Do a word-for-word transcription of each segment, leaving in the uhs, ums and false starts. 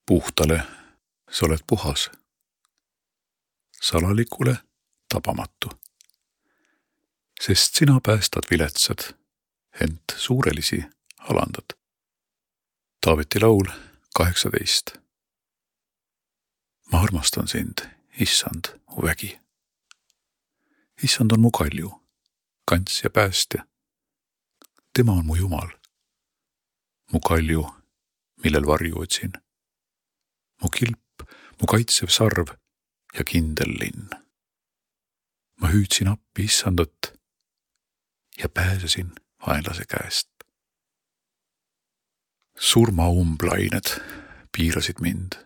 Puhtale sa oled puhas, salalikule tabamatu, sest sina päästad viletsad, ent suurelisi alandad. Taaveti laul kaheksateist. Ma armastan sind, issand, mu vägi. Issand on mu kalju, kants ja päästja. Tema on mu Jumal, mu kalju, millel varju otsin. Mu kilp, mu kaitsev sarv ja kindel linn. Ma hüüdsin appi issandat ja pääsesin vaenlase käest. Surmaumplained piirasid mind.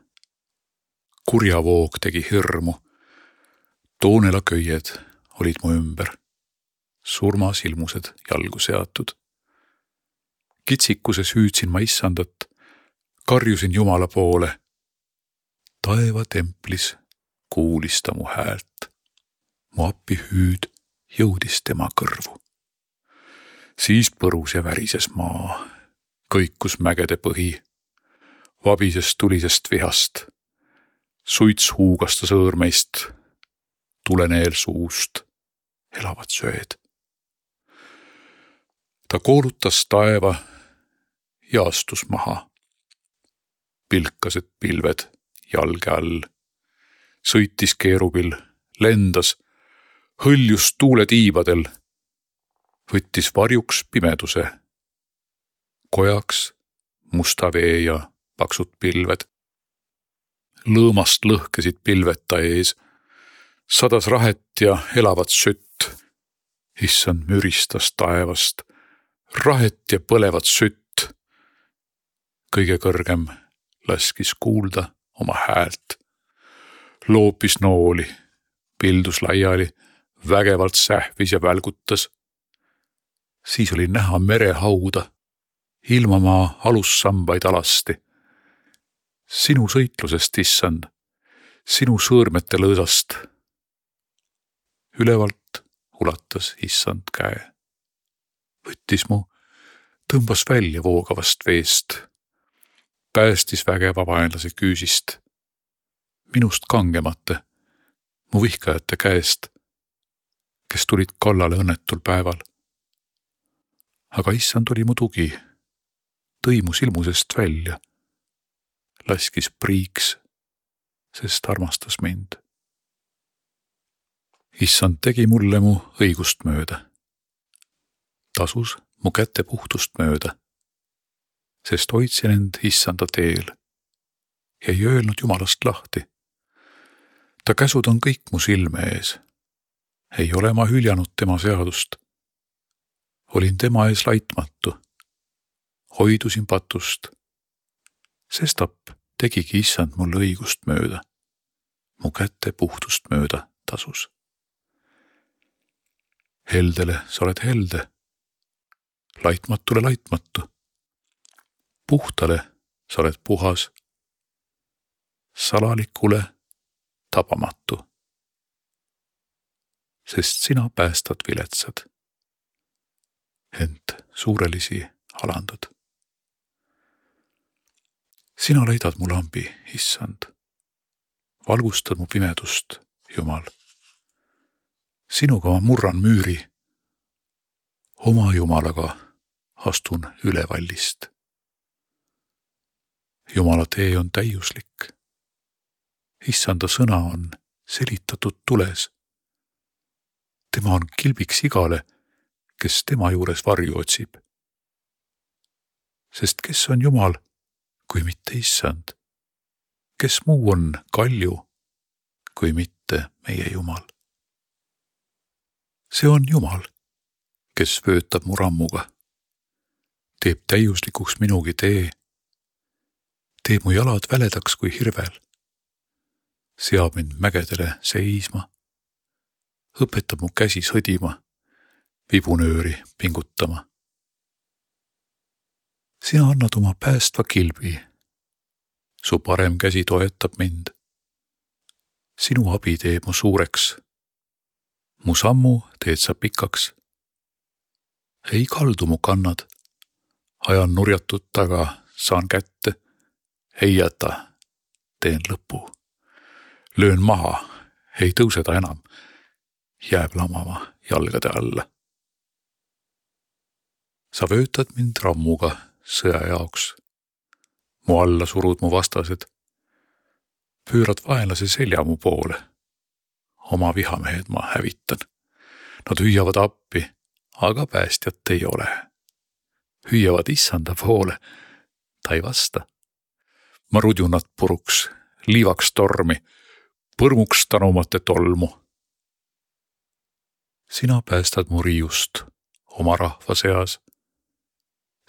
Kurjavoog tegi hirmu. Toonelaköied olid mu ümber. Surmasilmused jalgu seatud. Kitsikuses hüüdsin ma issandat, karjusin Jumala poole. Taeva templis kuulis ta mu häält. Mu appi hüüd jõudis tema kõrvu. Siis põrus ja värises maa, kõikus mägede põhi, vabises tulisest vihast, suits huugas ta sõõrmeist, tuleneel suust, elavad söed. Ta koolutas taeva ja astus maha. Pilkased pilved jalge all, sõitis keerubil, lendas, hõljus tuule tiibadel, võttis varjuks pimeduse, kojaks musta vee ja paksud pilved. Lõõmast lõhkesid pilved ta ees, sadas rahet ja elavat sütt. Issand müristas taevast, rahet ja põlevat sütt. Kõige kõrgem laskis kuulda oma häält. Loopis nooli, pildus laiali, vägevalt sähvis ja välgutas. Siis oli näha merehauda, ilmamaa alussambaid alasti. Sinu sõitlusest, issand, sinu sõõrmete lõõsast. Ülevalt ulatas issand käe. Võttis mu, tõmbas välja voogavast veest. Päästis vägeva vaenlase küüsist. Minust kangemate, mu vihkajate käest, kes tulid kallale õnnetul päeval. Aga issand oli mu tugi, tõi mu silmusest välja, laskis priiks, sest armastas mind. Issand tegi mulle mu õigust mööda, tasus mu käte puhtust mööda, sest hoidsin end issanda teel ja ei öelnud Jumalast lahti. Ta käsud on kõik mu silme ees. Ei ole ma hüljanud tema seadust. Olin tema ees laitmatu. Hoidusin patust. Sestap tegigi issand mulle õigust mööda. Mu kätte puhtust mööda tasus. Heldele sa oled helde. Laitmatule laitmatu. Puhtale sa oled puhas. Salalikule tabamatu. Sest sina päästad viletsad, ent suurelisi alandad. Sina leidad mu lambi, issand. Valgustad mu pimedust, Jumal. Sinuga ma murran müüri. Oma Jumalaga astun üle vallist. Jumala tee on täiuslik. Issanda sõna on selitatud tules. Tema on kilbiks igale, kes tema juures varju otsib. Sest kes on Jumal, kui mitte issand? Kes muu on kalju, kui mitte meie Jumal? See on Jumal, kes vöötab mu rammuga, teeb täiuslikuks minugi tee, teeb mu jalad väledaks kui hirvel, seab mind mägedele seisma, õpetab mu käsi sõdima, vibunööri pingutama. Sina annad oma päästva kilbi, su parem käsi toetab mind. Sinu abi teeb mu suureks, mu sammu teed sa pikaks. Ei kaldu mu kannad, ajan nurjatud taga, saan kätte, ei jäta, teen lõpu. Löön maha, ei tõuse ta enam. Jääb lamama jalgade alla. Sa vöötad mind rammuga sõja jaoks. Mu alla surud mu vastased. Pöörad vaenlase selja mu poole. Oma vihamehed ma hävitan. Nad hüüavad appi, aga päästjat ei ole. Hüüavad issanda poole. Ta ei vasta. Ma rudjun nad puruks, liivaks tormi, põrmuks tanumate tolmu. Sina päästad mu riiust oma rahva seas.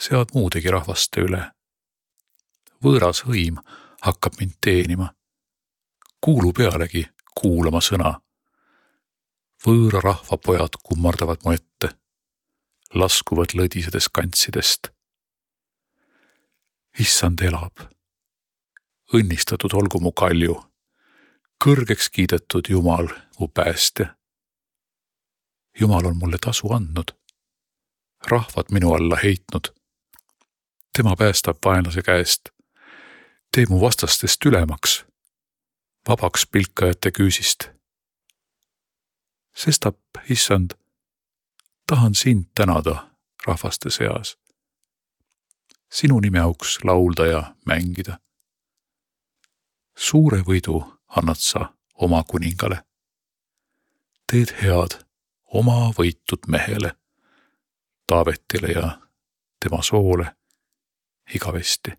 Sead muudegi rahvaste üle. Võõras hõim hakkab mind teenima. Kuulu pealegi kuulama sõna. Võõra rahva pojad kummardavad mu ette. Laskuvad lõdisedes kantsidest. Issand elab. Õnnistatud olgu mu kalju. Kõrgeks kiidetud Jumal, mu päästja. Jumal on mulle tasu andnud. Rahvad minu alla heitnud. Tema päästab vaenlase käest. Tee mu vastastest ülemaks. Vabaks pilkajate küüsist. Sestap, issand, tahan sind tänada rahvaste seas. Sinu nime auks laulda ja mängida. Suure võidu annad sa oma kuningale. Teed head oma võitud mehele, Taavetile ja tema soole igavesti.